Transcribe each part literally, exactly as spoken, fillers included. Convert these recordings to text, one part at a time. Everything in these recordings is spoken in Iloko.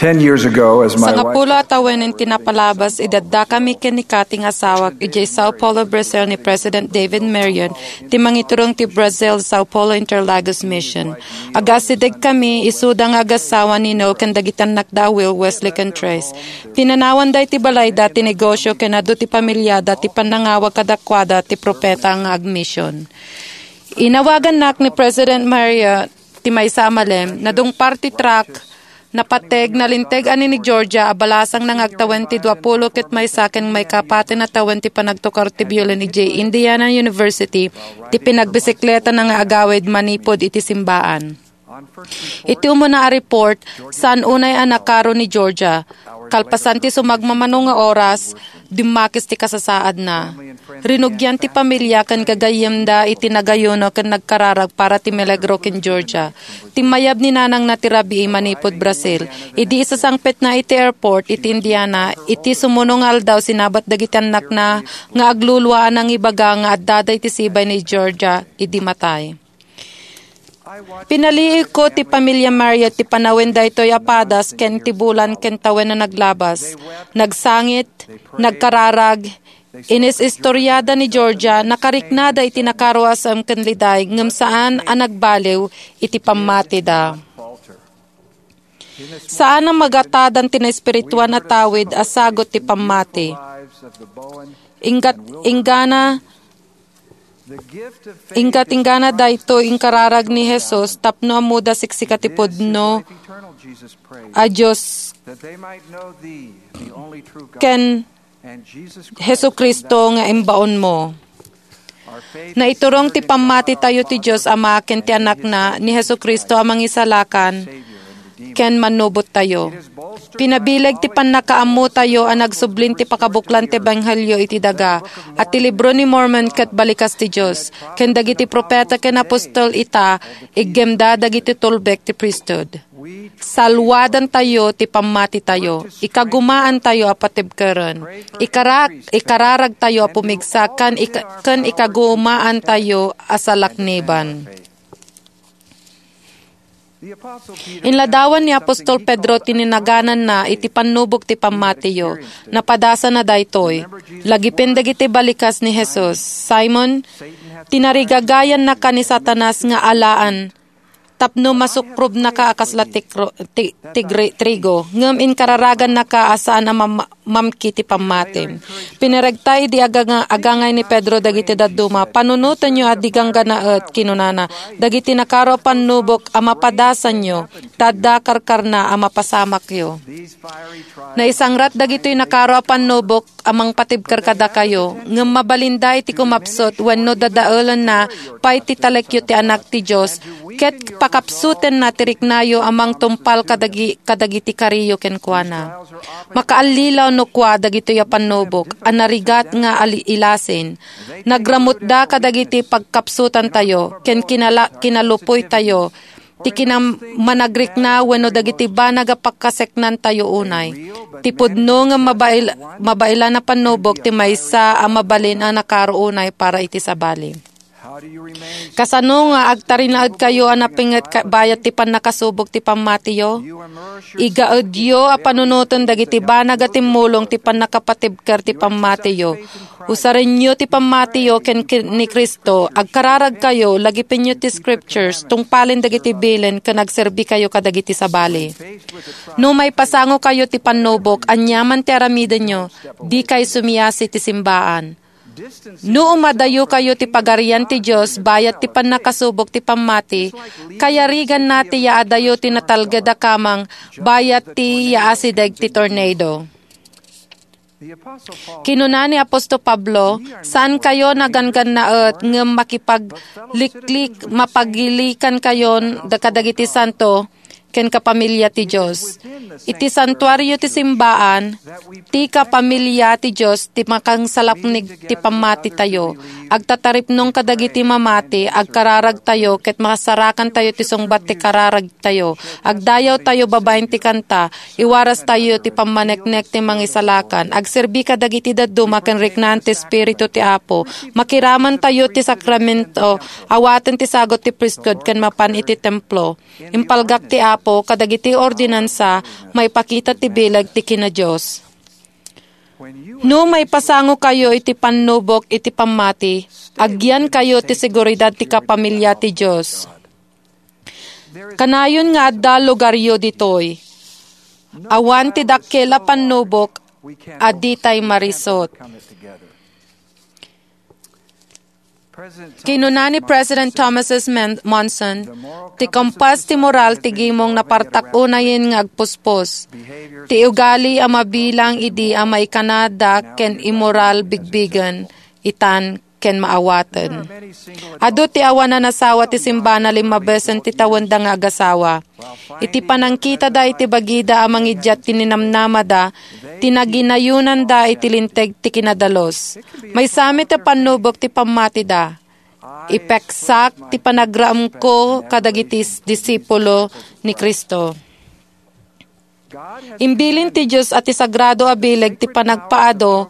Ten years ago, as my wife Sangapulo a tawen ti napalabas, idi addakami ken ni Kathy nga asawak, idiay Sao Paulo, Brazil, ni President David Marion, ti mangiturong ti Brazil Sao Paulo Interlagos Mission. Agaasidegkami, isuda nga agassawa ni Noel ken dagiti annakda a Will, Wesley, ken Trace. Pinanawan daytoy balayda ti negosio ken adu ti pamiliada ti pannangawag kadakuada ti propeta nga agmission. Inawagannak ni President Marion ti maysa a malem, nadungpar ti truck, napateg, nalinteg a ni Georgia a balasangna nga agtawen ti duapulo ket maysa ken maikapatna a tawen ti panagtukar ti biolin idiay Indiana University, ti pinagbisikleta na nga agawid manipud iti simbaan. Iti umuna a report, saan unay a nakaro ni Georgia. Kalpasan ti sumagmamano nga oras, dimmakis ti kasasaadna. Rinugian ti pamilia ken gagayyemda iti nagayuno ken nagkararag para ti milagro ken Georgia. Timmayab ni nanangna ti rabii manipud Brazil. Idi isasangpetna iti airport iti Indiana, iti sumuno nga aldaw sinabat dagiti annakna nga aglulua a nangibaga nga addada iti sibay ni Georgia idi matay. Pinaliigko ti pamilia Marriott ti panawen daytoy a padas ken ti bulan ken tawen a naglabas. Nagsangit, nagkararag, inis-istoriada ni Georgia, nakariknada iti nakaruasem ken liday, ngem saan a nagbaliw iti pammatida. Saan a magatadan ti naespirituan a tawid a sagut ti pammati. Inggat, inggana, inggat-inggana daytoy inkararag ni Jesus tapno ammoda siksika ti pudno a Dios ken Jesu-Cristo nga imbaonmo. Naiturong ti pammatitayo ti Dios Ama ken ti Anakna, ni Jesu-Cristo a Mangisalakan ken Mannubottayo. Pinabileg ti pannakaammotayo a nagsublin ti pakabuklan ti ebanghelio iti daga, a ti Libro ni Mormon ket balikas ti Dios, ken dagiti propeta ken apostol ita, iggemda dagiti tulbek ti priesthood. Salwadantayo ti pammatitayo. Ikagumaantayo a patibkeren. Ikara-, ikararagtayo a pumigsa ken ika-, ken ikagumaantayo a salakniban. Inladawan ni Apostol Pedro ti ninagananna iti pannubok ti pammatiyo. Napadasana daytoy. Lagipen dagiti balikas ni Jesus. Simon, tinarigagayannaka ni Satanas nga alaan tapno masukrobnaka a kasla tikro-, ti-, tigri-, trigo, ngem inkararagannaka a saan a mam-, mamki ti pammatim. Pinaregta idi aganga-, agangay ni Pedro dagiti dadduma, "Panunotenyo a di gangganaet," kinunana, "dagiti nakaro a pannubok a mapadasanyo, ta adda karkarna a mapasamakyo." Naisangrat dagitoy nakaro a pannubok a mangpatibker kadakayo, ngem mabalinda iti kumapsut wenno dadaelenna pay ti talekyo ti Anak ti Dios, ket pakapsutenna ti riknayo a mangtungpal kadagi-, kadagiti kariyo kenkuana. Makaallilaw no kua dagitoy a pannubok a narigat nga ali-, ilasin. Nagramutda kadagiti pagkapsutantayo ken kinala-, kinalupoytayo ti kinam-, managrikna wenno dagiti banag a pakaseknantayo unay. Ti pudno nga mabail-, mabailan a pannubok ti maysa a mabalin a nakaro unay para iti sabali. Kasano nga agtarinaedkayo a napinget ka-, bayat ti pannakasubok ti pammatiyo? Igaedyo a panunoten dagiti banag a timmulong ti pannakapatibker ti pammatiyo. Usarenyo ti pammatiyo ken, ken ni Cristo, agkararagkayo, lagipenyo ti scriptures, tungpalen dagiti bilin ken agserbikayo kadagiti sabali. No maipasangokayo ti pannubok, aniaman ti aramidenyo, dikay sumiasi ti simbaan. No umadayokayo ti Pagarian ti Dios bayat ti pannakasubok ti pammati, kayariganna ti yaadayo ti natalged a kamang bayat ti yaasideg ti tornado. Kinuna ni Apostol Pablo, "Saankayo naganggannaet ngem makipagliklik, mapagilikankayon da-, kadagiti santo ken kapamilya ti Dios." Iti santuario ti simbaan, ti kapamilya ti Dios ti makangsalapnig ti pammatitayo. Agtataripnong kadagiti mamati, agkararagtayo, ket makasarakantayo ti sungbat ti kararag tayo. Agdayawtayo babaen ti kanta, iwarastayo ti pammaneknek ti Mangisalakan, agserbi kadagiti dadduma ken riknaan ti Espiritu ti Apo, makiramantayo ti sakramento, awaten ti sagut ti priesthood ken mapan iti templo. Impalgak ti Apo. kadagiti ordinansa maipakita ti bileg ti kina-Dios. No maipasangokayo iti pannubok iti pammati, agyankayo ti seguridad ti kapamilya ti Dios. Kanayon nga adda lugaryo ditoy. Awan ti dakkel a pannubok a ditay marisut. Kinuna ni President Thomas S. Men-, Monson, "Ti kumpas ti moral ti gimong napartak unayen nga agpuspos. Ti ugali a mabilang idi a maikanada ken immoral bigbigen, itan ken maawaten." Adu ti awan a nasawa ti simbana limmabesen ti tawenda nga agasawa. Iti panangkitada iti bagida a mangidiat ti ninamnamada, ti naginayonanda iti linteg ti kinadalus. Maysa met a pannubok ti pammatida. Ipeksak ti panagraemko kadagiti s-, disipulo ni Cristo. Imbilin ti Dios a ti sagrado a bileg ti panagpaadu,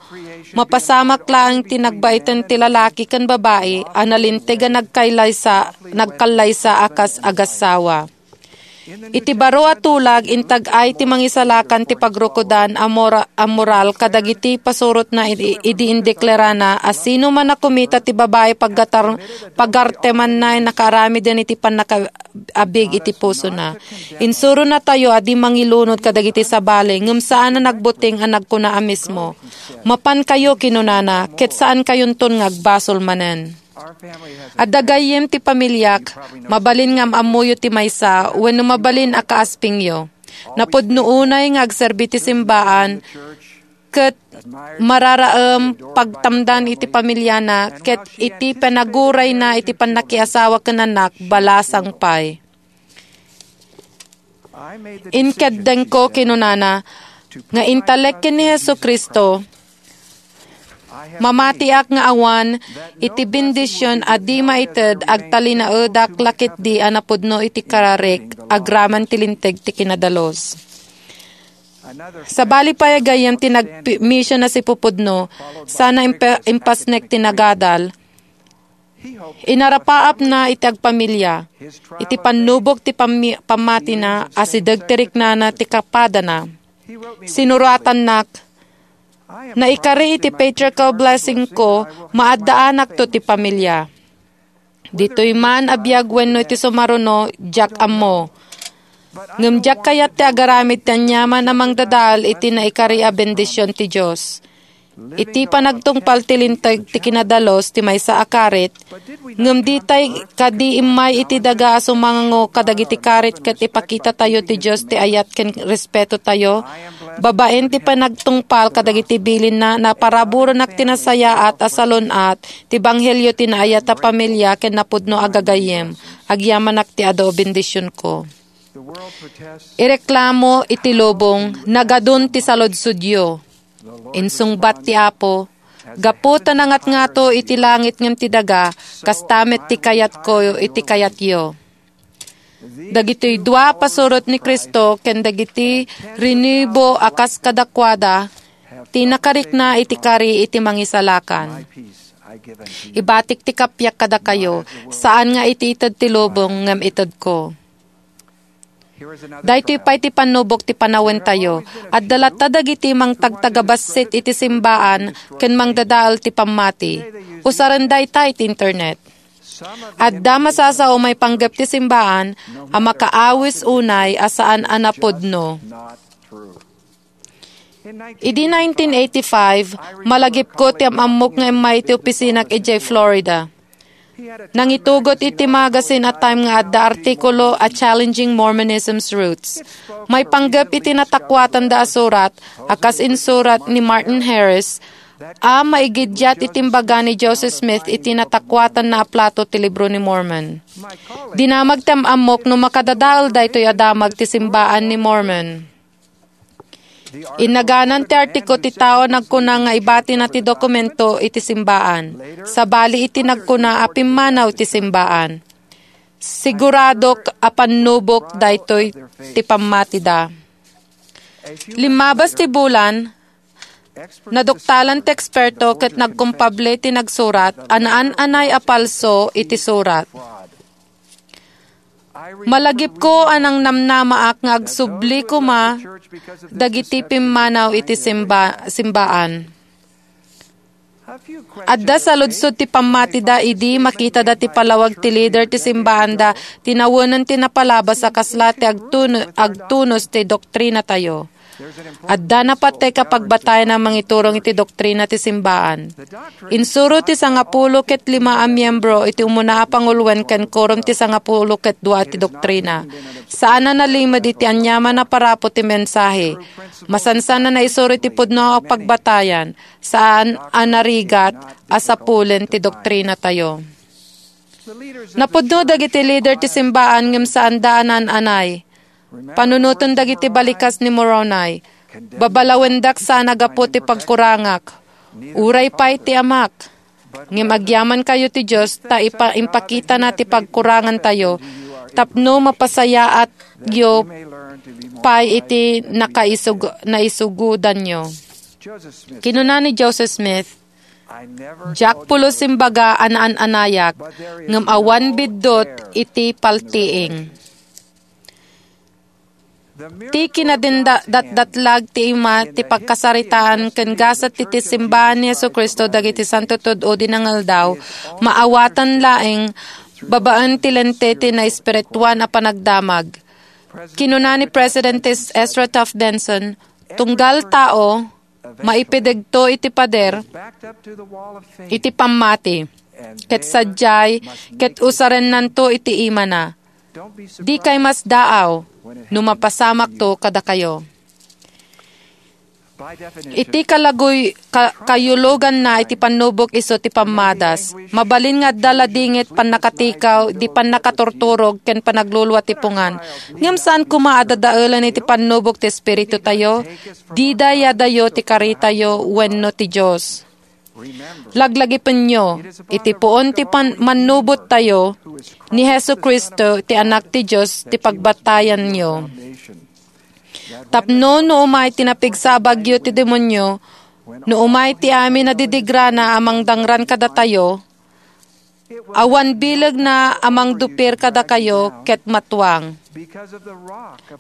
mapasamak laeng ti nagbaiten ti lalaki ken babai a nalinteg a nagkaylaysa-, nagkallaysa a kas agassawa. Iti baro a tulag, intag-ay ti mangisalakan ti pagrukodan a mora-, a moral kadagiti pasurotna idi, idi indeklarana a sino man a kumita ti babai paggatar-, pagartemanna a nakaaramiden iti pannaka-, abig iti pusona. Insuronatayo a di mangilunod kadagiti sabali, ngem saan a nagbuteng a nagkuna a mismo, "Mapankayo," kinunana, "ket saankayonton nga agbasol manen." Adda gayyem ti pamiliak, mabalin nga am-ammoyo ti maysa wenno mabalin a kaaspingyo. Napudno unay nga agserbi ti simbaan ket mararaem pagtamdan iti pamiliana ket iti panagurayna iti pannakiasawa ken annak, balasang pay. Inkeddengko, kinunana, nga intalek ken ni Jesu-Cristo, mamatiak nga awan iti bendision a di maited agtalinaedak la ketdi a napudno iti kararik agraman ti linteg ti kinadalus. Sabali pay a gayyem ti nagmision a sipupudno, sana impa-, impasnek ti nagadal. Inarapaapna iti agpamilya, iti pannubok ti pammi-, pammatina, asideg ti riknana ti kapadana. Sinuratannak, "Naikari iti patriarchal blessing ko, maaddaanakto ti pamilya." Ditoy man a biag wenno iti sumaruno, diak ammo. Ngem diak kayat ti agaramid ti aniaman a mangdadael iti naikari a bendision ti Dios. Iti panagtungpal ti linteg ti kinadalus ti maysa a karit, ngem ditay kadi immay iti daga a sumango kadagiti karit ket ipakitatayo ti Dios ti ayat ken respetotayo? Babaen ti panagtungpal kadagiti bilinna, naparaburenak ti nasayaat a salun-at ti ebanghelio ti naayat a pamilya ken napudno a gagayyem. Agyamanak ti adu a bendisionko. Ireklamo iti lubong, nagadun ti saludsodyo. Insungbat ti Apo, "Gapu ta nangatngato iti langit ngem ti daga, kasta met ti kayatko iti kayatyo." Dagitoy dua a pasurot ni Cristo ken dagiti rinibo a kas kadakuada ti nakarikna iti kari iti Mangisalakan. Ibatik ti kappia kadakayo, saan nga iti ited ti lubong ngem itedko. Daytoy pay ti pannubok ti panawentayo. Adda latta dagiti mangtagtagabassit iti simbaan ken mangdadael ti pammati. Usaren dayta iti internet. Adda masasao maipanggep ti simbaan a makaawis unay a saan a napudno. Idi nineteen eighty-five, malagipko ti am-ammok nga immay iti opisinak idiay Florida. Nangitugot iti magazine a Time nga adda artikulo a Challenging Mormonism's Roots. Maipanggep iti natakuatanda a surat a kas insurat ni Martin Harris a maigiddiat iti imbaga ni Joseph Smith iti natakuatanna a plato ti Libro ni Mormon. Dinamag ti am-ammok no makadadael daytoy a damag ti simbaan ni Mormon. Innaganan ti artiko ti tao a nagkuna nga ibatina ti dokumento iti simbaan, sabali iti nagkuna a pimmanaw ti simbaan. Siguradok a pannubok daytoy ti pammatida. Limmabas ti bulan, naduktalan ti eksperto ket nagkumpable ti nagsurat a naan-anay a palso iti surat. Malagipko a nangnamnamaak nga agsubli koma dagiti pimmanaw iti simba-, simbaan. Adda saludsod ti pammatida idi makitada ti palawag ti lider ti simbaanda, ti nawenen ti napalabas a kasla ti agtun-, agtunos ti doktrinatayo. Adda napateg a pagbatayan a mangiturong iti doktrina ti simbaan. Insuro ti sangapulo ket lima a miembro iti umuna a panguluen ken quorum ti sangapulo ket dua ti doktrina. Saan a nalimed iti aniaman a parapo ti mensahe. Masansan a naisuro iti pudno a pagbatayan. Saan a narigat a sapulen ti doktrinatayo. Napudno dagiti lider ti simbaan ngem saanda a naan-anay. Panunoten dagiti balikas ni Moroni. Babalawendak saan a gapu ti pagkurangak. Uray pay ti amak. Ngem agyamankayo ti Dios ta ipa-, impakitana ti pagkurangantayo tapno mapasayaatyo pay iti nakaisug-, naisugudanyo. Kinuna ni Joseph Smith, "Diak pulos imbaga a naan-anayak, ngem awan biddut iti paltiing." Ti kinadatdatlag ti ima ti pagkasaritaan ken gasat ti, ti simbaan ni Jesu-Cristo dagiti santo tud-o di nangaldaw, maawatan laeng babaen ti lente ti naespirituan a panagdamag. Kinuna ni President Ezra Taft Benson, "Tunggal tao, maipidegto iti pader iti pammati, ket sadiay, ket usarennanto iti imana. Dikay masdaaw no mapasamakto kadakayo." Iti kalaguy-, ka-, kayuluganna iti pannubok isu ti pammadas. Mabalin nga adda ladingit, pannakatikaw, di pannakaturturog, ken panaglulua ti pungan. Ngem saan koma a dadaelen iti pannubok ti Espiritu tayo? Dida yadayo ti karitayo wenno ti Dios. Laglagipenyo, iti puon ti pan-, mannubot tayo, ni Jesu-Cristo, ti Anak ti Dios, ti pagbatayanyo. Tapno no umay ti napigsa a bagyo ti demonio, no umay ti amin a didigrana a mangdangran kadatayo, awan bilegna a mangdupir kadakayo ket matuang.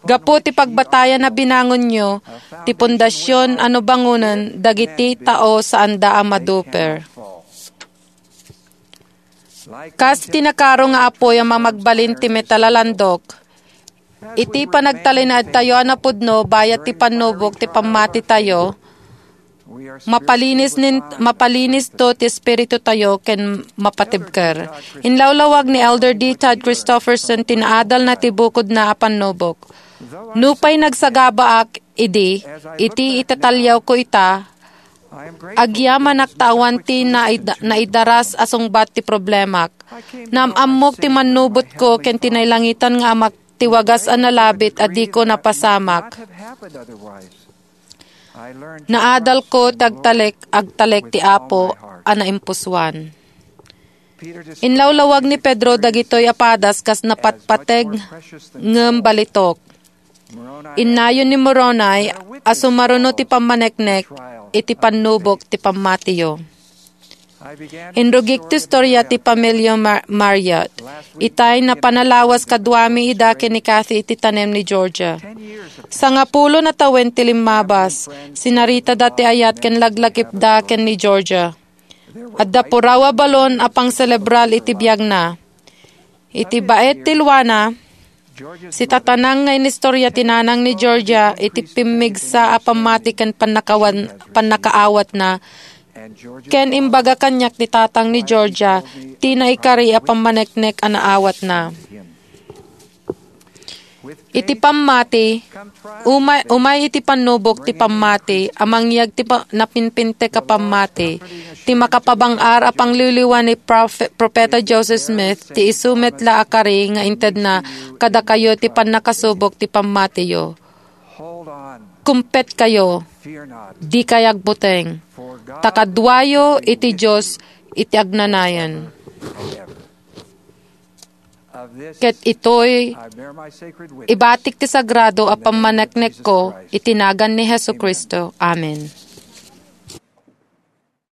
Gapu ti pagbatayan a binangonyo, ti pundasyon a no bangonen dagiti tao saanda a maduper. Kas ti nakaro nga apuy a mamagbalin ti metal a landok, iti panagtalinaedtayo a napudno bayat ti pannubok ti pammatitayo, mapalinis nin-, mapalinisto ti espirituyo ken mapatibker. Inlawlawag ni Elder D. Todd Christofferson ti naadalna ti bukodna a pannubok. Nupay nagsagabaak idi, iti itataliawko ita, agyamanak ta awan ti naid-, naidaras a sungbat ti problemak. Naam-ammok ti mannubotko ken ti nailangitan nga Amak ti wagas a nalabit a diko napasamak. Naadalko ti agtalek, agtalek ti Apo a naimpusoan. Inlawlawag ni Pedro dagitoy a padas kas napatpateg ngem balitok. Innayon ni Moroni a sumaruno ti pammaneknek iti pannubok ti pammatiyo. Inrugik ti istorya ti pamilya Mar-, Marriott. Itay napanalawas kaduami ida ken ni Kathy iti tanem ni Georgia. Sangapulo a tawen ti limmabas, sinaritada ti ayat ken laglagipda ken ni Georgia. Adda puraw a balon a pangselebrar iti biagna. Iti baet ti luana, sitatanang nga inistorya ti nanang ni Georgia iti pimmigsa a pammati ken pannakawan-, pannakaawatna, ken imbaga kaniak ti tatang ni Georgia ti naikari a pammaneknek a naawatna. Iti pammati, umay, umay iti pannubok ti pammati a mangyag ti pa-, napinpintek a pammati, ti makapabang-ar a pangliwliwa ni Profe-, Profeta Joseph Smith, ti isu met la a kari nga intedna kadakayo ti pannakasubok ti pammatiyo. Kumpetkayo, dikay agbuteng, ta kaduayo iti Dios iti agnanayon. Ket itoy, ibatik ti sagrado a pammaneknekko iti nagan ni Jesu-Cristo. Amen.